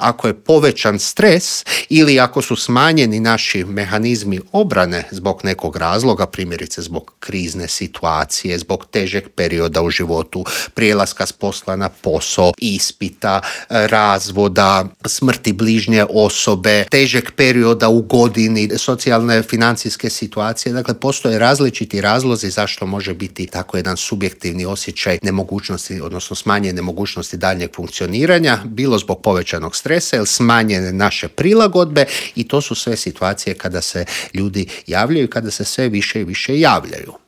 ako je povećan stres ili ako su smanjeni naši mehanizmi obrane zbog nekog razloga, primjerice zbog krizne situacije, zbog težeg perioda u životu, prijelaska s posla na posao, ispita, razvoda, smrti bližnje osobe, težeg perioda u godini, socijalne, financijske situacije. Dakle, postoje različiti razlozi zašto može biti tako jedan subjektivni osjećaj nemogućnosti, odnosno smanjene mogućnosti daljnjeg funkcioniranja, bilo zbog povećanog stresa ili smanjene naše prilagodbe, i to su sve situacije kada se ljudi javljaju, kada se sve više i više javljaju.